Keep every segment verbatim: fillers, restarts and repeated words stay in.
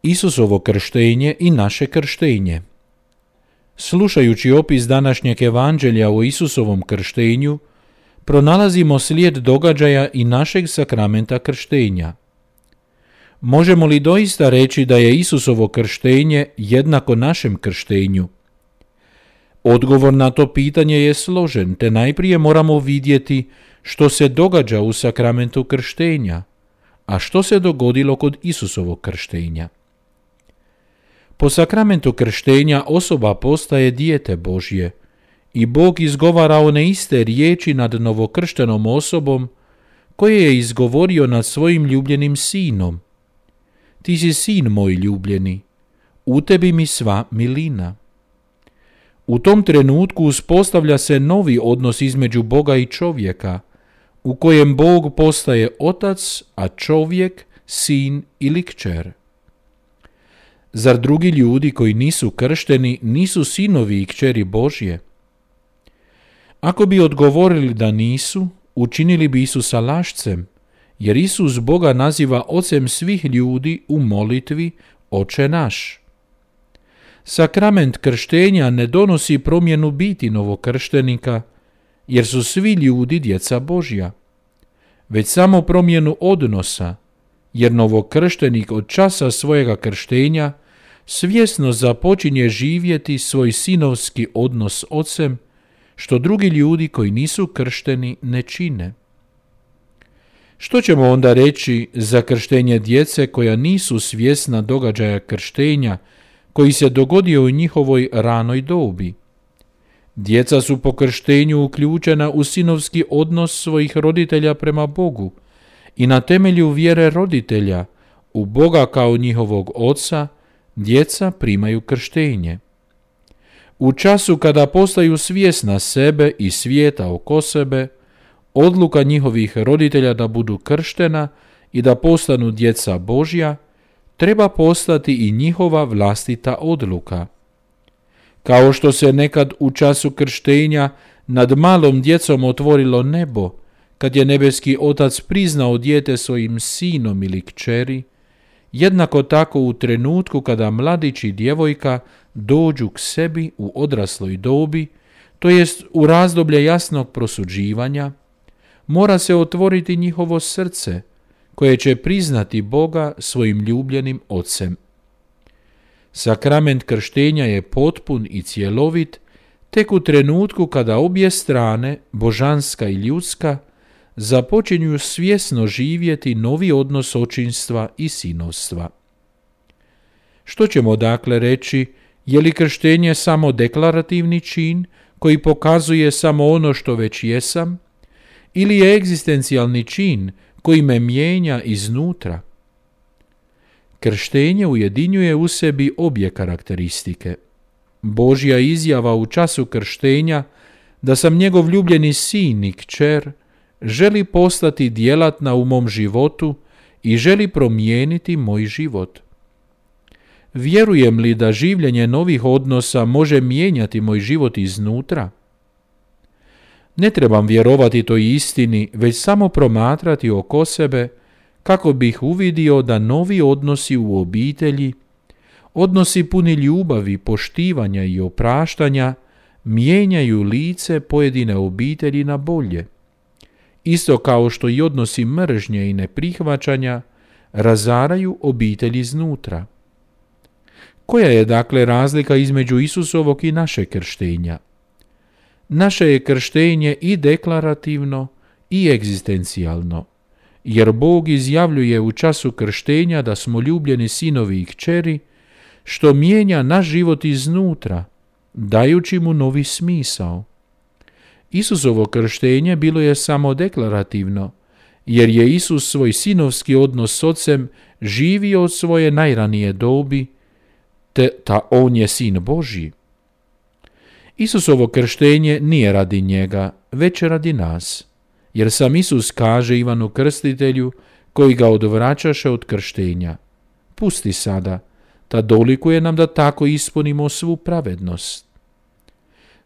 Isusovo krštenje i naše krštenje. Slušajući opis današnjeg evanđelja o Isusovom krštenju, pronalazimo slijed događaja i našeg sakramenta krštenja. Možemo li doista reći da je Isusovo krštenje jednako našem krštenju? Odgovor na to pitanje je složen, te najprije moramo vidjeti što se događa u sakramentu krštenja, a što se dogodilo kod Isusovog krštenja. Po sakramentu krštenja osoba postaje dijete Božje i Bog izgovara one iste riječi nad novokrštenom osobom koje je izgovorio nad svojim ljubljenim sinom. Ti si sin moj ljubljeni, u tebi mi sva milina. U tom trenutku uspostavlja se novi odnos između Boga i čovjeka, u kojem Bog postaje otac, a čovjek sin ili kćer. Zar drugi ljudi koji nisu kršteni nisu sinovi i kćeri Božje? Ako bi odgovorili da nisu, učinili bi Isusa lašcem, jer Isus Boga naziva ocem svih ljudi u molitvi Oče naš. Sakrament krštenja ne donosi promjenu biti novokrštenika, jer su svi ljudi djeca Božja, već samo promjenu odnosa, jer novokrštenik od časa svojega krštenja svjesno započinje živjeti svoj sinovski odnos s ocem, što drugi ljudi koji nisu kršteni ne čine. Što ćemo onda reći za krštenje djece koja nisu svjesna događaja krštenja koji se dogodio u njihovoj ranoj dobi? Djeca su po krštenju uključena u sinovski odnos svojih roditelja prema Bogu i na temelju vjere roditelja u Boga kao njihovog oca, djeca primaju krštenje. U času kada postaju svjesna sebe i svijeta oko sebe, odluka njihovih roditelja da budu krštena i da postanu djeca Božja treba postati i njihova vlastita odluka. Kao što se nekad u času krštenja nad malom djecom otvorilo nebo, kad je nebeski Otac priznao dijete svojim sinom ili kćeri, jednako tako u trenutku kada mladić i djevojka dođu k sebi u odrasloj dobi, to jest u razdoblje jasnog prosuđivanja, mora se otvoriti njihovo srce, koje će priznati Boga svojim ljubljenim ocem. Sakrament krštenja je potpun i cjelovit tek u trenutku kada obje strane, božanska i ljudska, započinju svjesno živjeti novi odnos očinstva i sinovstva. Što ćemo dakle reći, je li krštenje samo deklarativni čin koji pokazuje samo ono što već jesam, ili je egzistencijalni čin koji me mijenja iznutra? Krštenje ujedinjuje u sebi obje karakteristike. Božja izjava u času krštenja da sam njegov ljubljeni sin i kćer želi postati djelatna u mom životu i želi promijeniti moj život. Vjerujem li da življenje novih odnosa može mijenjati moj život iznutra? Ne trebam vjerovati toj istini, već samo promatrati oko sebe kako bih uvidio da novi odnosi u obitelji, odnosi puni ljubavi, poštivanja i opraštanja, mijenjaju lice pojedine obitelji na bolje. Isto kao što i odnosi mržnje i neprihvaćanja razaraju obitelj iznutra. Koja je dakle razlika između Isusovog i našeg krštenja? Naše je krštenje i deklarativno i egzistencijalno, jer Bog izjavljuje u času krštenja da smo ljubljeni sinovi i kćeri, što mijenja naš život iznutra, dajući mu novi smisao. Isusovo krštenje bilo je samo deklarativno, jer je Isus svoj sinovski odnos s Ocem živio od svoje najranije dobi, te ta on je sin Božji. Isusovo krštenje nije radi njega, već radi nas, jer sam Isus kaže Ivanu Krstitelju, koji ga odvraćaše od krštenja: pusti sada, ta dolikuje nam da tako ispunimo svu pravednost.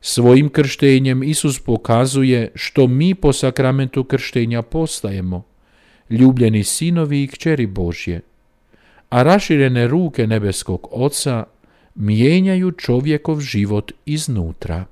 Svojim krštenjem Isus pokazuje što mi po sakramentu krštenja postajemo, ljubljeni sinovi i kćeri Božje. a raširene ruke nebeskog Oca mijenjaju čovjekov život iznutra.